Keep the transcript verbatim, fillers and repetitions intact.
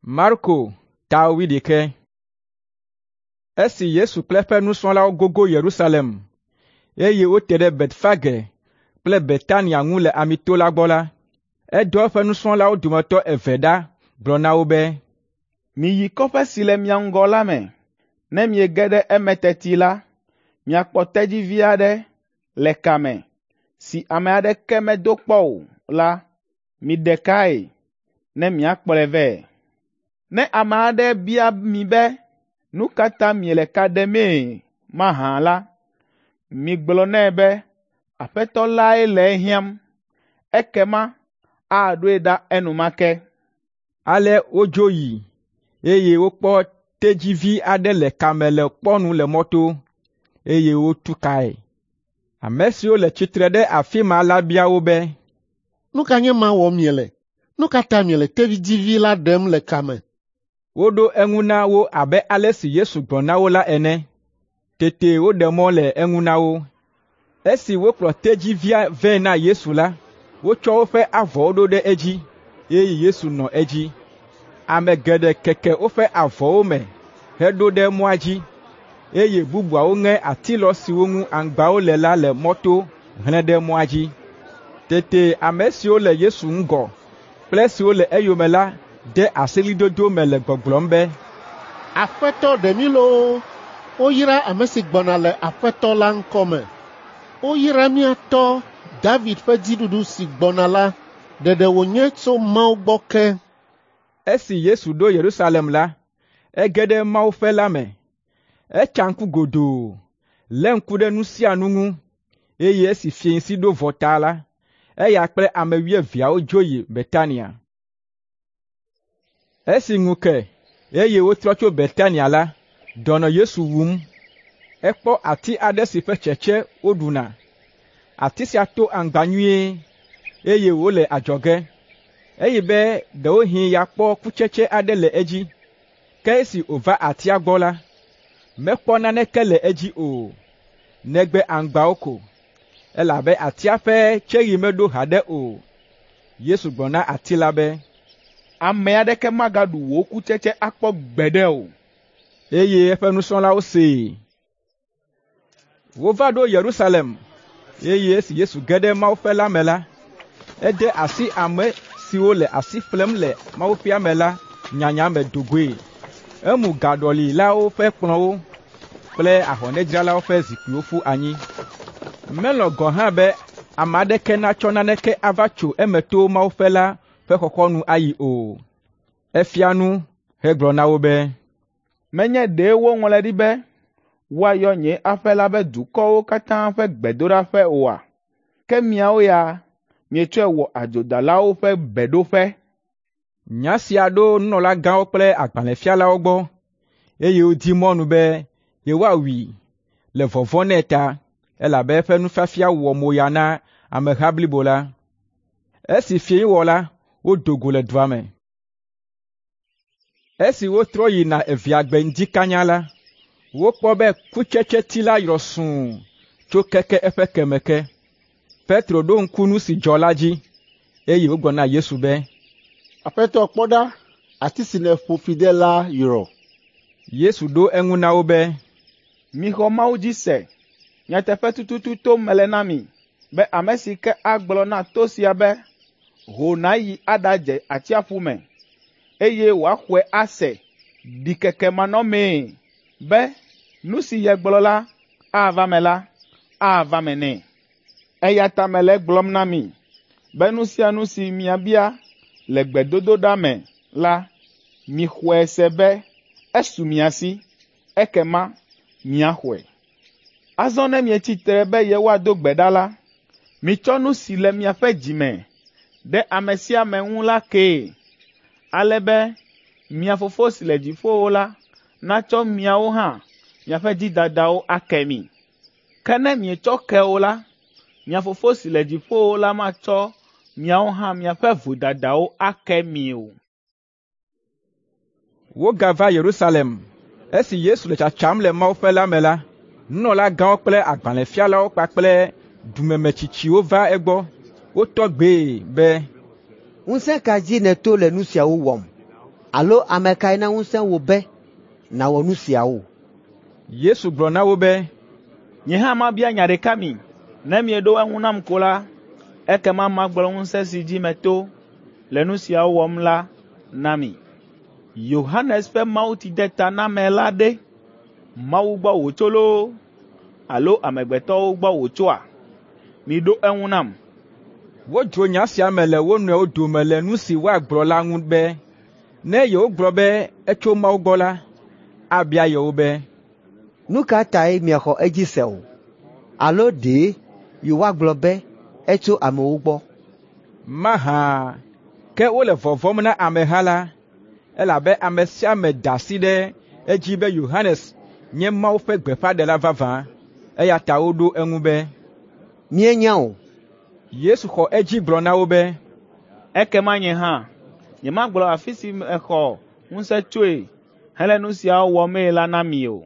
Marko ta wuiɖekɛ. Esi Yesu kple eƒe nusrɔ̃lawo gogo Yerusalem, eye wote ɖe Betfage kple Betania ŋu le Amito la gbɔ la, edɔ eƒe nusrɔ̃lawo dometɔ eve ɖa gblɔ na wo be, “Miyi kɔƒe si le mia ŋgɔ la me. Ne miege ɖe eme teti la, miakpɔ tedzivi aɖe le ka me, si ame aɖeke medo kpɔ o la, miɖe kae, ne miakplɔe vɛ. Ne ame aɖe bia mi be, ‘Nu ka ta miele ka ɖemee mahã la,’ migblɔ nɛ be, ‘Aƒetɔ lae le ehiãm,’ ekema aɖoe ɖa enumake.” Ale wodzo yi, eye wokpɔ tedzivi aɖe le ka me le kpɔnu le mɔto, eye wotu kae. Ame siwo le tsitre ɖe afi ma la bia wo be, “Nu ka nye ema wɔm miele? Nu ka ta miele tedzivi la ɖem le ka me?” Woɖo eŋu na wo abe ale si Yesu gblɔ na wo la ene. Tete woɖe mɔ le eŋu na wo. Esi wokplɔ tedzivia vɛ na Yesu la, wotsɔ woƒe avɔwo ɖo ɖe edzi, eye Yesu nɔ edzi. Ame geɖe keke woƒe avɔwo me heɖo ɖe mɔa dzi, eye bubuawo ŋe atilɔ siwo ŋu aŋgbawo le la le mɔto hlẽ ɖe mɔa dzi. Tete ame siwo le Yesu ŋgɔ kple esiwo le eyome la de asi ɣlidodo me le gbɔgblɔm be, “Aƒetɔ ɖe mí loo! Woyra ame si gbɔna le Aƒetɔ la ŋkɔ me. Woyra mía tɔ́ David ƒe dziɖuɖu si gbɔna la, ɖeɖe wònye tso Mawu gbɔ ke.” Esi Yesu ɖo Yerusalem la, ege ɖe mawuƒe la me. Etsa ŋku godoo, lé ŋku ɖe nu sia nu ŋu, eye esi fiẽsi ɖo vɔ ta la, eya kple ame wuieveawo dzo yi Betania. Esi ŋu ke, eye wotrɔ tso Betania la, dɔ nɔ Yesu wum. Ekpɔ ati aɖe si ƒe tsetse woɖuna. Ati sia to aŋgba nyuie, eye wòle adzɔge. Eyi be ɖewohĩ yeakpɔ kutsetse aɖe le edzi. Ke esi wòva atia gbɔ la, mekpɔ naneke le edzi o, negbe aŋgbawo ko, elabe atia ƒe tseɣi meɖo haɖe o. Yesu gblɔ na ati la be, “Ame aɖeke magaɖu wò kutsetse akpɔ gbeɖe o.” Eye eƒe nusrɔ̃lawo see. Wova ɖo Yerusalem, eye esi Yesu ge ɖe mawuƒe la me la, ede asi ame siwo le asi ƒlem le mawuƒea me la nyanya me do goe. Emu gaɖɔlilawo ƒe kplɔ̃wo kple ahɔnɛdzralawo ƒe zikpuiwo ƒu anyi. Melɔ̃ gɔ̃ hã be ame aɖeke natsɔ naneke ava tso eme to mawuƒe la ƒe xɔxɔnu ayi o. Efia nu hegblɔ na wo be, “Menye ɖe woŋlɔe ɖi be, ‘Woayɔ nye aƒe la be dukɔwo katã ƒe gbedoɖaƒe oa?’ Ke miawo ya mietsɔe wɔ adzodalawo ƒe beɖoƒe.” Nya sia ɖo nunɔlagãwo kple agbalẽfialawo gbɔ, eye wodi mɔnu be yewoawui le vɔvɔ̃ nɛ ta, elabe eƒe nufiafia wɔ moya na ameha blibo la. Esi fiẽ wɔ la, wodo go le dua me. Esi wotrɔ yina evea gbe ŋdi kanya la, wokpɔ be kutsetseti la yrɔ sũu tso keke eƒe keme ke. Petro ɖo ŋku nu si dzɔ la dzi, eye wògblɔ na Yesu be, “Aƒetɔ kpɔ ɖa, ati si nèƒo fi de la yrɔ.” Yesu ɖo eŋu na wo be, “Mixɔ Mawu dzi se. Nyateƒe tututu tom mele na mi be ame si ke agblɔ na to sia be, ‘Ho nàyi aɖadze atsiaƒu me,’ eye wòaxɔe ase ɖikekemanɔmee be nu si yegblɔ la ava eme la, ava eme nɛ. Eya ta mele egblɔm na mi be nu sia nu si miabia le gbedodoɖa me la, mixɔe se be esu mia si, ekema miaxɔe. Azɔ ne mietsi tre be yewoado gbe ɖa la, mitsɔ nu si le miaƒe dzi me ɖe ame sia ame ŋu la kee, ale be mia Fofo si le dziƒowo la natsɔ miawo hã miaƒe dzidadawo ake mi. Ke ne mietsɔ ke o la, mia Fofo si le dziƒowo la matsɔ miawo hã miaƒe vodadawo ake mi o.” Wogava Yerusalem. Esi Yesu le tsatsam le mawuƒe la me la, nunɔlagãwo kple agbalẽfialawo kpakple dumemetsitsiwo va egbɔ. Wotɔ gbee be, “Ŋusẽ ka dzi nèto le nu siawo wɔm? Alo ame kae na ŋusẽ wò be nàwɔ nu siawo?” Yesu gblɔ na wo be, “Nye hã mabia nya ɖeka mi. Ne mieɖo eŋu nam ko la, ekema magblɔ ŋusẽ si dzi meto le nu siawo wɔm la na mi. Yohanes ƒe mawutsidetaname la ɖe, Mawu gbɔ wòtso loo alo amegbetɔwo gbɔ wòtsoa? Miɖo eŋu nam.” Wodzro nya sia me le wo nɔewo dome le nu si woagblɔ la ŋu be, ne yewogblɔ be etso Mawu gbɔ la, abia yewo be, “Nu ka tae miexɔ edzi se o? Alo ɖe yewoagblɔ be etso amewo gbɔ?” Mahã? Ke wole vɔvɔ̃m na ameha la, elabe ame sia ame da asi ɖe edzi be Yohanes nye Mawu ƒe gbeƒãɖela vavã. Eya ta woɖo eŋu be, “Míenya o.” Yesu xɔ edzi gblɔ na wo be, “Ekema nye hã nyemagblɔ afi si mexɔ ŋusẽ tsoe hele nu siawo wɔmee la na mi o.”